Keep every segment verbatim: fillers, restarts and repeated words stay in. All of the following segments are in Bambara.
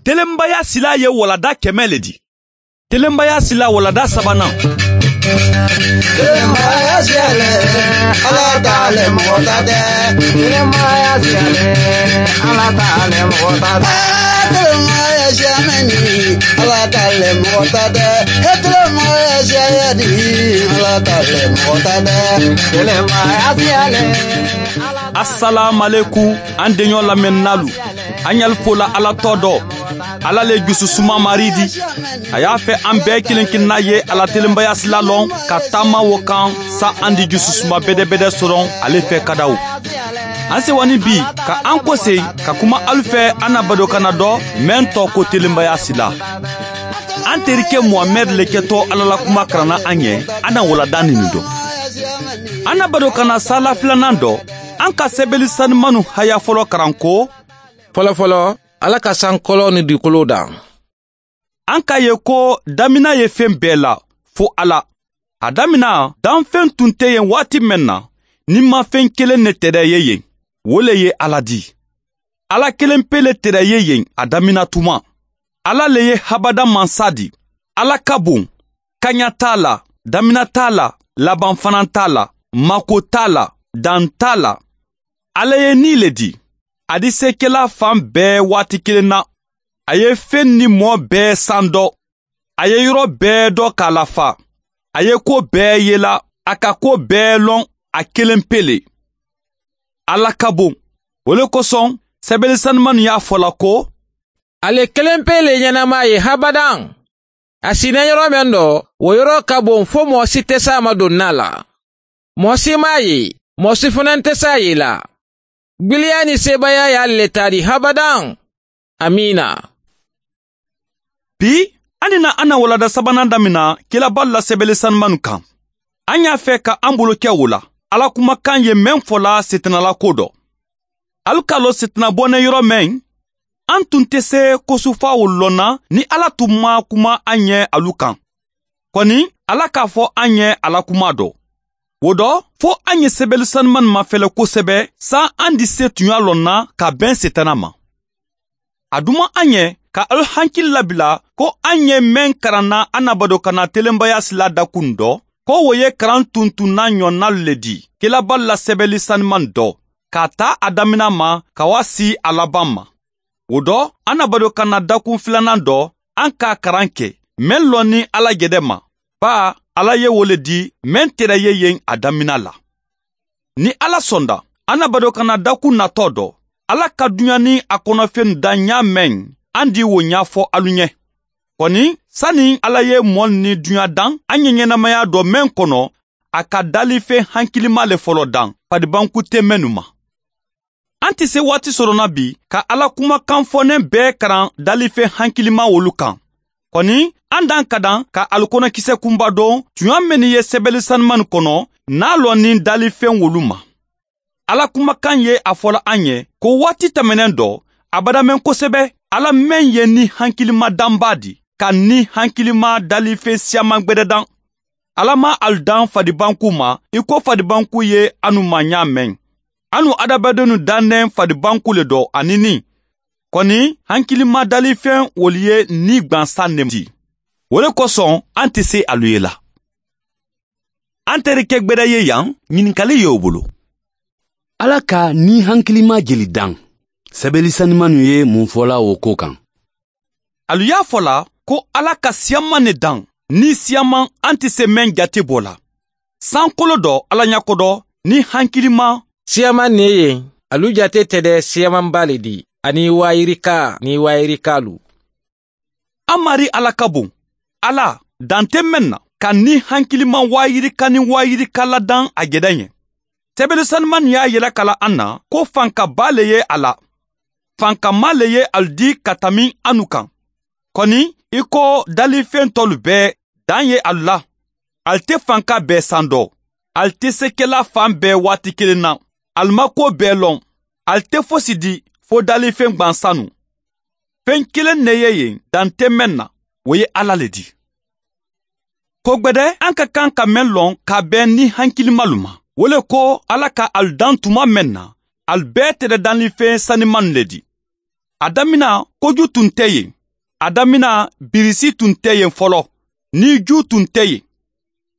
Telenbaya sila ye walada kɛmɛ le di. Telenbaya sila walada sabanan. Telenbaya siyale, Ala t'ale mɔgɔ ta tɛ. Telenbaya siyale, Ala t'ale mɔgɔ ta tɛ. Telenbaya siyamɛni, Ala t'ale mɔgɔ ta tɛ. Telenbaya siyayadi, Ala t'ale mɔgɔ ta tɛ. Telenbaya siyale. Assalamu alaikum, an deɲɔ lamɛnnalu. An y'al fola Ala tɔ dɔ. Ala le jususuma mari di. A y'a fɛ an bɛɛ kelen kelenna ye ala telenbaya sila lɔn ka taama wo kan, sa an di jususuma bɛdɛbɛdɛ sɔrɔ ale fɛ kadaw. An sewani bi ka an kɔse ka kuma alu fɛ an na badokana dɔ mɛn tɔ ko telenbaya sila. An terikɛ Muhamɛd le kɛtɔ Ala la kuma karanna an ɲɛ an na walada nin dɔ. An na badokana sala filanan dɔ, an ka sɛbɛli sanimanu haya fɔlɔ karan ko: Fɔlɔfɔlɔ, Ala ka sankɔlɔ ni dugukolo dan. An k'a ye ko damina ye fɛn bɛɛ la fo Ala. A damina, danfɛn tun tɛ yen waati min na, ni mafɛn kelen ne tɛrɛ ye yen, o le ye Ala di. Ala kelen pe le tɛrɛ ye yen a damina tuma. Ala le ye habada mansa di. Ala ka bon, kaɲa t'a la, damina t'a la, laban fana t'a la, mako t'a la, dan t'a la. Ala ye ni le di. A di sekɛla fan bɛɛ waati kelen na. A ye fɛn ni mɔɔ bɛɛ san dɔ. A ye yɔrɔ bɛɛ dɔ k'a lafa. A ye ko bɛɛ yela, a ka ko bɛɛ lɔn a kelen pe le. Ala ka bon. O le kosɔn, sɛbɛnni sanumanu y'a fɔla ko: Ale kelen pe le ɲɛnama ye habadan. A sinɛ yɔrɔ min dɔ, o yɔrɔ ka bon fo mɔgɔ si tɛ s'a ma donna la. Mɔgɔ si m'a ye, mɔgɔ si fana tɛ s'a ye la. Gbiliya ni sebaya y'ale le ta di habadan. Amina. Bi, an na an na walada sabanan damina kilaba la sɛbɛnni sanumanu kan. An y'a fɛ ka an bolo kɛ o la. Ala kumakan ye mɛn fɔla setanala ko dɔ. Alu k'a lɔn setana bɔnɛ yɔrɔ mɛn, an tun tɛ se kosufa o lɔnna ni Ala tun ma kuma an ɲɛ alu kan. Kɔni, Ala k'a fɔ an ɲɛ ala kuma dɔ. O dɔ, fo an ye sɛbɛnni sanuman mafɛlɛ kosɛbɛ, san an di se tun y'a lɔnna ka bɛn setana ma. A duma an ɲɛ ka alu hankili labila ko an ye mɛn karanna an na badokana telenbaya sila dakun dɔ, ko o ye karan tuntunna ɲɔnnalu le di, kelaba la sɛbɛnni sanuman dɔ, k'a ta a damina ma ka wa si a laban ma. O dɔ, an na badokana dakun filanan dɔ, an k'a karan kɛ, mɛn lɔnni Ala gɛdɛ ma. Ba, Ala ye wo le di, mɛn tɛrɛ ye yen a damina la. Ni Ala sɔnda, an na badokana dakun natɔ dɔ, Ala ka duɲa ni a kɔnɔfɛn da ɲa mɛn, an di wo ɲɛfɔ alu ɲɛ. Kɔni, sani Ala ye mɔɔ ni duɲa dan, an ye ɲɛnamaya dɔ mɛn kɔnɔ, a ka dalifɛn hankilima le fɔlɔ dan, fadibanku tɛ mɛnnu ma. An tɛ se waati sɔrɔ na bi ka Ala kumakan fɔnen bɛɛ karan dalifɛn hankilima wolu kan. Kɔni, an dan ka dan ka alikɔnɔkisɛ kunba dɔn tuɲa minnu ye sɛbɛnni sanuman kɔnɔ n'a lɔn ni dalifɛn wolu ma. Ala kumakan ye a fɔla an ye ko waati tɛmɛnen dɔ, a badamɛn kosɛbɛ, Ala mɛn ye ni hankilima danba di, ka ni hankilima dalifɛn siyaman gbɛdɛ dan. Ala ma alu dan fadibanku ma i ko fadibanku ye anu ma ɲa mɛn. Anu adamadenw dannen fadibanku le dɔ ani ni. Kɔni, hankilima dalifɛn wolu ye ni gwansan ne di. O le kosɔn an tɛ se alu ye la. An terikɛ gbɛdɛ ye yan, ɲininkali ye o bolo. Ala ka ni hankilima jeli dan. Sɛbɛnni sanimanu ye mun fɔla o ko kan? Alu y'a fɔ la ko Ala ka siyaman ne dan, ni siyaman an tɛ se mɛn jate bɔ la. Sankolo dɔ Ala ɲɛkɔ dɔ, ni hankilima. Siyaman ne ye, alu jate tɛ dɛ siyamanba le di, ani wayirika ni wayirikalu. An mari Ala ka bon. Ala, dan tɛ mɛn na, ka ni hankilima wayirika ni wayirika ladan a gɛdɛ ɲɛ. Sɛbɛnni sanuman y'a yɛlɛ kala an na ko fankaba le ye a la. Fankama le ye alu di ka tami anu kan. Kɔni, i ko dalifɛn tɔlu bɛɛ, dan ye alu la. Alu tɛ fanka bɛɛ san dɔ. Alu tɛ sekɛla fan bɛɛ waati kelen na. Alu ma ko bɛɛ lɔn. Alu tɛ fosi di fo dalifɛn gwansanu. Fɛn kelen ne ye yen, dan tɛ mɛn na, o ye Ala le di. Ko gbɛdɛ, an ka kan ka mɛn lɔn ka bɛn ni hankilimalu ma. O le ko Ala ka alu dan tuma mɛn na, alu bɛɛ tɛrɛ danlifɛn sanimanu le di. A damina koju tun tɛ yen. A damina birisi tun tɛ yen fɔlɔ, ni ju tun tɛ yen.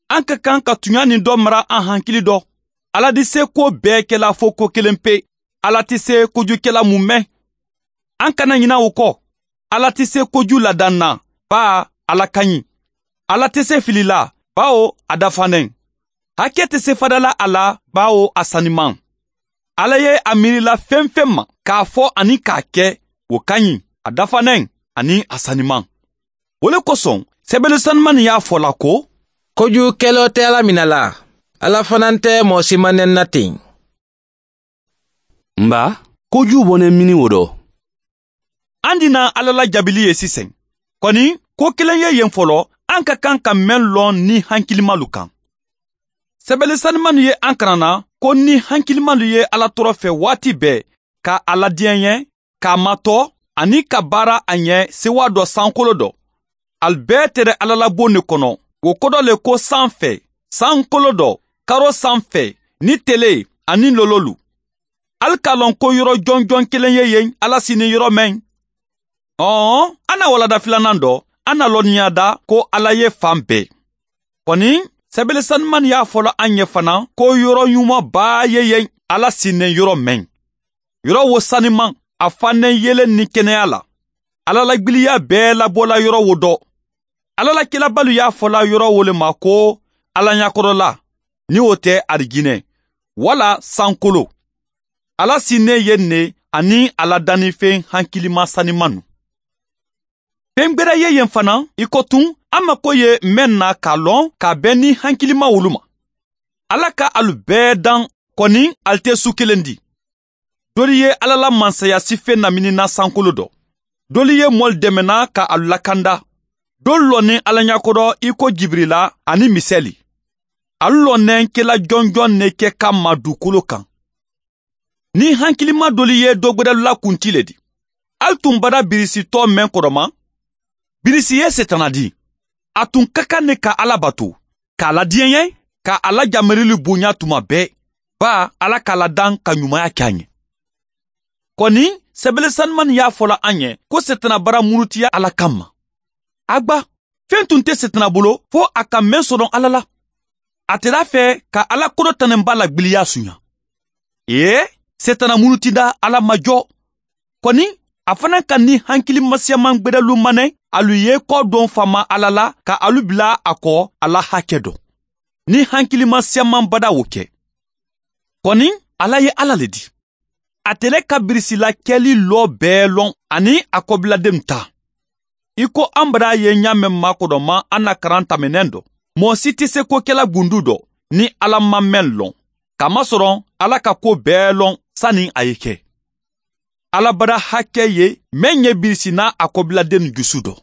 An ka kan ka tunya nin dɔ mara an hankili dɔ. Ala di se ko bɛɛ kɛla fo ko kelen pe. Ala tɛ se kojukɛla mun mɛn. An kana ɲina o kɔ. Ala tɛ se koju ladan na, ba Ala ka ɲi. Ala tɛ se fili la, bawo a dafanen. Hakɛ tɛ se fadala a la, bawo a saniman. Ala ye a miirila fɛn fɛn ma k'a fɔ ani k'a kɛ, o ka ɲi, a dafanen ani a saniman. O le kosɔn, sɛbɛnni sanuman y'a fɔ la ko kojukɛlaw tɛ Ala minɛ la, Ala fana tɛ mɔgɔ si manɛn na ten. Nba, koju bɔnɛ mini o dɔ. An dina Ala la jabili ye sisan. Kɔni, ko kelen ye yen fɔlɔ, an ka kan ka mɛn lɔn ni hankilimalu kan. Sɛbɛnni sanuman ye an karanna ko ni hankilimalu ye Ala tɔɔrɔ fɛ waati bɛɛ, ka a ladiɲɛ, k'a matɔ ani ka baara a ɲɛ sewa dɔ sankolo dɔ. Al bɛɛ tɛrɛ Ala la bon de kɔnɔ, o kɔdɔ le ko san fɛ, sankolo dɔ, karo san fɛ, ni tele ani lololu. Al k'a lɔn ko yɔrɔ jɔnjɔn kelen ye yen Ala sini yɔrɔ mɛn. Ɔn, an na walada filanan dɔ, an na lɔnniya da ko Ala ye fan bɛɛ. Kɔni, sɛbɛnni sanuman y'a fɔla an ɲɛ fana ko yɔrɔ ɲumanba ye yen Ala sinnen yɔrɔ mɛn. Yɔrɔ wo saniman, a fannen yelen ni kɛnɛya la. Ala la gbiliya bɛɛ labɔla yɔrɔ wo dɔ. Ala la kilabalu y'a fɔla yɔrɔ wo le ma ko Ala ɲakɔrɔla, ni o tɛ arijinɛ, wala sankolo. Ala sinnen yen ne ani Ala dannifɛn hankilima sanimanu. Fɛn gbɛrɛ ye yen fana, i ko tun, an mako ye mɛn na k'a lɔn k'a bɛn ni hankilima wolu ma. Ala ka alu bɛɛ dan kɔni ali tɛ su kelen di. Dɔlu ye Ala la mansaya sife naminina sankolo dɔ. Dɔlu ye mɔli dɛmɛna ka alu lakanda. Dɔlu lɔnnen Ala ɲakɔrɔ i ko Jibirila ani Misɛli. Alu lɔnnen kɛla jɔnjɔn ne kɛ ka ma dugukolo kan. Ni hankilima dɔlu ye dɔ gbɛrɛlu la kunti le di. Al tun bada birisitɔ mɛn kɔrɔma. Birisi ye setana di. A tun ka kan ne ka Ala bato, k'a ladiɲɛ, ka Ala jamirili bonya tuma bɛɛ, ba Ala k'a ladan ka ɲumanya kɛ a ɲɛ. Kɔni, sɛbɛnni sanuman y'a fɔla an ɲɛ ko setana bara murutiya Ala kama. Agba, fɛn tun tɛ setana bolo fo a ka mɛn sɔrɔ Ala la. A tɛra fɛ ka Ala kɔrɔ tanenba la gbiliya sunya. Ee, setana murutida Ala ma jɔ. Kɔni, a fana ka ni hankili masiyaman gbɛdɛlu manɛ, alu ye kɔ don fama Ala la ka alu bila a kɔ Ala hakɛ dɔn. Ni hankili masiyaman bada o kɛ. Kɔni, Ala ye Ala le di. A tɛlɛ ka birisila kɛli lɔ bɛɛ lɔn ani a kɔbiladenw ta. I ko an bara ye ɲa mɛn makɔdɔma an na karan tɛmɛnɛn dɔ. Mɔgɔ si tɛ se ko kɛla gundu dɔ ni Ala ma mɛn lɔn. Kamasɔrɔ Ala ka ko bɛɛ lɔn sani a ye kɛ. Ala bara hakɛ ye mɛn ɲɛ birisi n'a a kɔbiladen jusu dɔ.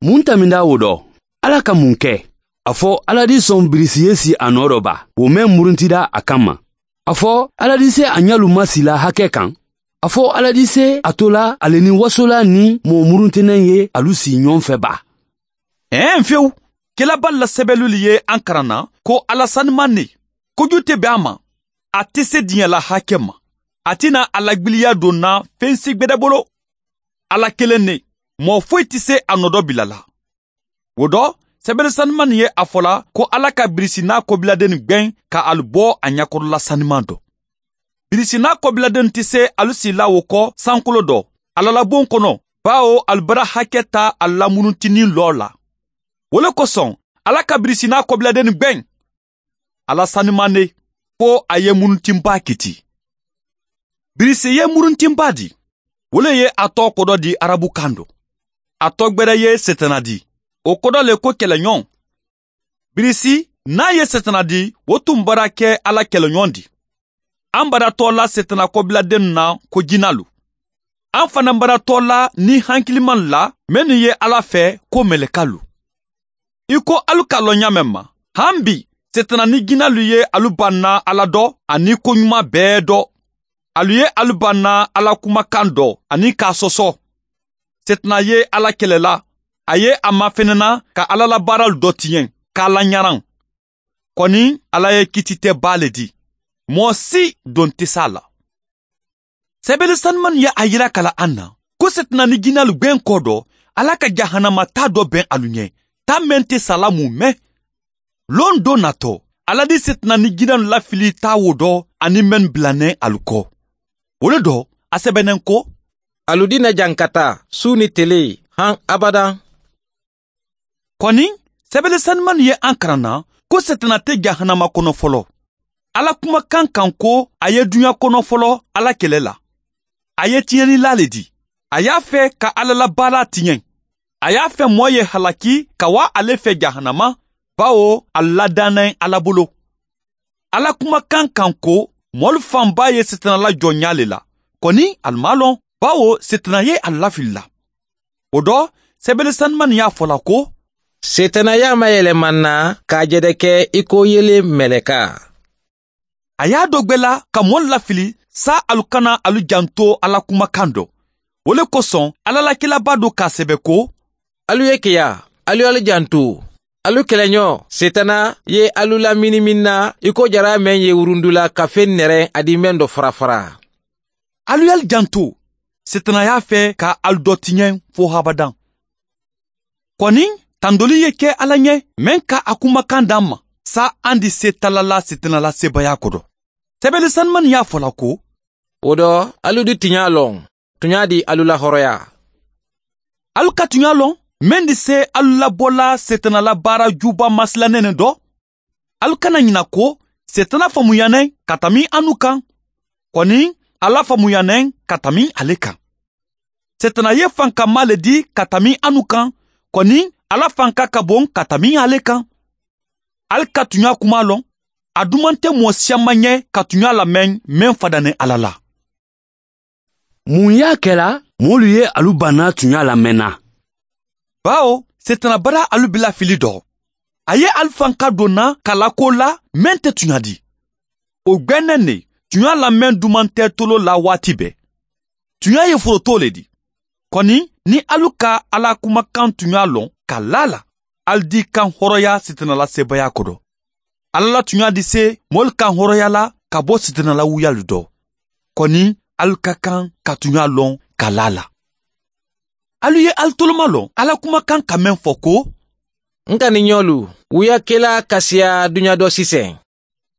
Mun taminda o dɔ? Ala ka mun kɛ? A fɔ Ala di sɔn birisi ye si a nɔ dɔ ba, o mɛn muruntida a kama. A fɔ Ala di se a ɲalu masila hakɛ kan. A fɔ Ala di se a tola ale ni wasola ni mɔgɔ muruntɛnɛn ye alu si ɲɔgɔn fɛ ba. Ɛn fewu, kelaba la sɛbɛnlu ye an karanna ko Ala sanuman ne, koju tɛ bɛn a ma, a tɛ se diɲɛ la hakɛ ma. A tɛna a lagbiliya don na fɛn si gbɛdɛ bolo. Ala kelen ne, mɔgɔ foyi tɛ se a nɔdɔ bila la. O dɔ, sɛbɛnni sanuman ye a fɔla ko Ala ka birisi n'a kɔbiladen gbɛn ka alu bɔ a ɲakɔrɔla sanuman dɔ. Birisi n'a kɔbiladen tɛ se alu si la o kɔ sankolo dɔ, Ala la bon kɔnɔ, bawo alu bara hakɛ ta a lamuruntinin lɔ la. O le kosɔn, Ala ka birisi n'a kɔbiladen gbɛn. Ala sanuman ne, ko a ye muruntinba kiti. Birisi ye muruntinba di. O le ye a tɔ kɔdɔ di arabu kan dɔ. A tɔ gbɛrɛ ye setana di. O kɔdɔ le ko kɛlɛɲɔgɔn. Birisi n'a ye setana di, o tun bara kɛ Ala kɛlɛɲɔgɔn di. An bara tɔ la setana kɔbiladen na ko jinalu. An fana bara tɔ la ni hankiliman la minnu ye Ala fɛ ko mɛlɛkalu. I ko alu k'a lɔn ɲa mɛn ma, han bi setana ni jinalu ye alu banna Ala dɔ ani ko ɲuman bɛɛ dɔ. Alu ye alu banna Ala kumakan dɔ ani k'a sɔsɔ. Setana ye Ala kɛlɛla, a ye a mafɛnɛna ka Ala la baaralu dɔ tiɲɛ, k'a laɲaran. Kɔni, Ala ye kiti tɛ ba le di. Mɔgɔ si don tɛ s'a la. Sɛbɛli sanuman ye a yira kala an na ko setana ni jinalu gbɛn kɔ dɔ ala ka jahanama ta dɔ bɛn alu ɲɛ ta mɛn tɛ sala mun mɛn. Lon dɔ natɔ ala di setana ni jinalu lafili ta wo dɔ ani mɛn bilanɛ alu kɔ. O le dɔ a sɛbɛnnen ko alu dina jankata su ni tele han abadan. Kɔni sɛbɛli sanuman ye an karan na ko setana tɛ jahanama kɔnɔ fɔlɔ. Ala kumakan kan ko a ye duɲa kɔnɔ fɔlɔ ala kɛlɛ la. A ye tiɲɛnila le di. A y'a fɛ ka ala la baara tiɲɛ. A y'a fɛ mɔɔ ye halaki ka wa ale fɛ jahanama bawo a ladannen ala bolo. Ala kumakan kan ko mɔlu fanba ye setana la jɔnya le la. Kɔni alu m'a lɔn bawo setana ye a lafili la. O dɔ sɛbɛli sanuman y'a fɔ la ko setana y'a mayɛlɛma na k'a jɛdɛ kɛ i ko yelen mɛlɛka. A y'a dɔ gwɛla ka mɔlu lafili sa alu kana alu janto ala kumakan dɔ. O le kosɔn ala lakilaba do k'a sɛbɛ ko alu ye keya alu alu janto alu kɛlɛɲɔ setana ye alu lamini min na i ko jara mɛn ye wurundula ka fen nɛrɛ adi mɛn dɔ farafara. Alu y'alu janto setana y'a fɛ ka alu dɔ tiɲɛ fo habadan. Kɔni tandoli ye kɛ ala ɲɛ mɛn ka a kumakan d'an ma sa an di se talala setana la sebaya kɔrɔ. Sɛbɛli sanuman y'a fɔ la ko o dɔ alu di tiɲa lɔn tunya di alu la hɔrɔnya. Alu ka tunya lɔn mɛn di se alu labɔla setana la baara juba masilanɛ dɔ. Alu kana ɲina ko setana faamuyanɛ ka tami anu kan. Kɔni ala faamuyanɛ ka tami ale kan. Setana ye fankama le di ka tami anu kan. Kɔni ala fanka ka bon ka tami ale kan. Alu ka tunya kuma lɔn. A duman tɛ mɔɔ siyaman ɲɛ ka tunya lamɛn mɛn fadanɛ ala la. Mun y'a kɛla mɔlu ye alu banna tunya lamɛnna? Bawo setana bara alu bila fili dɔ. A ye alu fanka donna kalako la mɛn tɛ tunya di. O gbɛnɛ ne tunya lamɛn duman tɛ tolo la waati bɛɛ. Tunya ye foroto le di. Kɔni ni alu ka ala kumakan tunya lɔn ka la la alu di kan hɔrɔnya setana la sebaya kɔrɔ. Ala la tunya di se mɔlu kan hɔrɔnya la ka bɔ setana la wuyalu dɔ. Kɔni alu ka kan ka tunya lɔn ka la la. Alu ye alu toloma lɔn ala kumakan ka mɛn fɔ ko n ka ni ɲɔlu wuya kela kasiya duɲa dɔ sisɛn.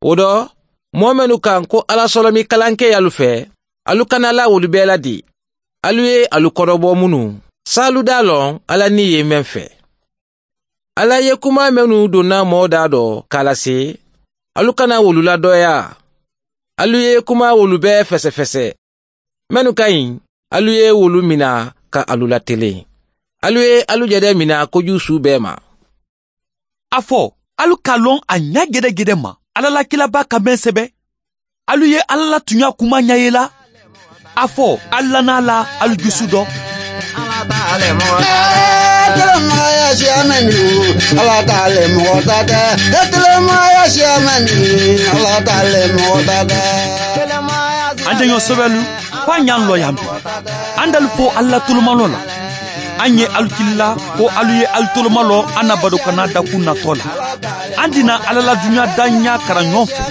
O dɔ mɔɔ mɛnu kan ko ala sɔlɔmi kalankɛ y'alu fɛ alu kana la wolu bɛɛ la di. Alu ye alu kɔrɔbɔ minnu s'alu d'a lɔn ala ni ye mɛn fɛ. Ala ye kuma mɛnu donna mɔɔ da dɔ k'a lase alu kana wolu ladɔya. Alu ye kuma wolu bɛɛ fɛsɛfɛsɛ. Mɛnu ka ɲi alu ye wolu mina ka alu latelen. Alu ye alu jɛdɛ mina kojugu su bɛɛ ma. A fɔ alu ka lɔn a ɲa gɛdɛgɛdɛ ma ala la kilaba ka mɛn sɛbɛ. Alu ye ala la tunya kuma ɲɛ ye la. A fɔ alu lana la alu dusu dɔ. Telemaya siamani ala t'ale mɔgɔ ta tɛ. Telemaya siamani ala t'ale mɔgɔ ta tɛ. An jɛɲɔ sɛbɛlu fo an y'an lɔ yan bi. An dalu fo ala tolomalɔ la. An ye alu kilila ko alu ye alu tolomalɔ an na badokana dakun natɔ la. An dina ala la duɲa da ɲa karan ɲɔgɔn fɛ.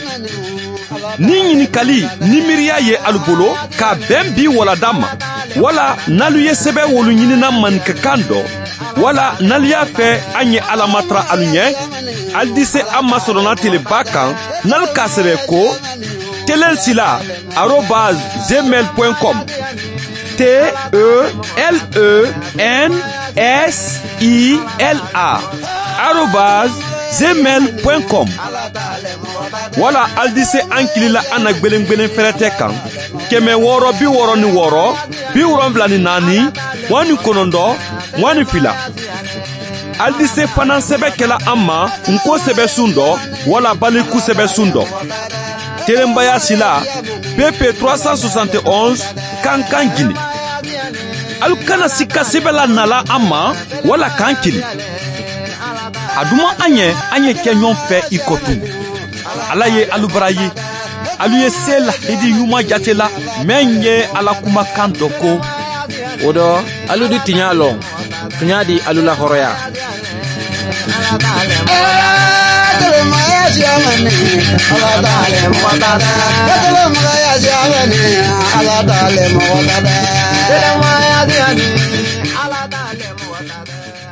Ni ɲininkali ni miiriya ye alu bolo ka bɛn bi walada ma wala n'alu ye sɛbɛn wolu ɲinina maninkakan dɔ wala n'alu y'a fɛ an ye ala matara alu ɲɛ alu di se an masɔrɔna teleba kan n'alu k'a sɛbɛn ko telensila arobase gmail point com T E L E N S I L A arobase gmail point com wala alu di se an kilila an na gbelengbelen fɛrɛtɛ kan kɛmɛ wɔɔrɔ bi wɔɔrɔ ni wɔɔrɔ bi wolonfila ni naani mugan ni kɔnɔntɔn mugan ni fila. Alu di se fana sɛbɛn kɛla an ma nko sɛbɛn sun dɔ wala baliku sɛbɛn sun dɔ. Telenbaya sila P P trois cent soixante et onze Kankan Guinée. Alu kana sika sɛbɛn la nala an ma wala k'an kili. A duman an ye an ye kɛ ɲɔgɔn fɛ i kɔ tun. Ala ye alu bara ye. Alu ye se lahidi ɲuman jate la mɛn ye ala kumakan dɔ ko. O dɔ alu di tiɲa lɔn tunya di alu la hɔrɔnya. Telemaya siya mɛn Ala t'ale mɔgɔ ta tɛ. Kelenmagaya siya mɛn Ala t'ale mɔgɔ ta tɛ. Kelenmagaya siya Ala t'ale mɔgɔ ta tɛ.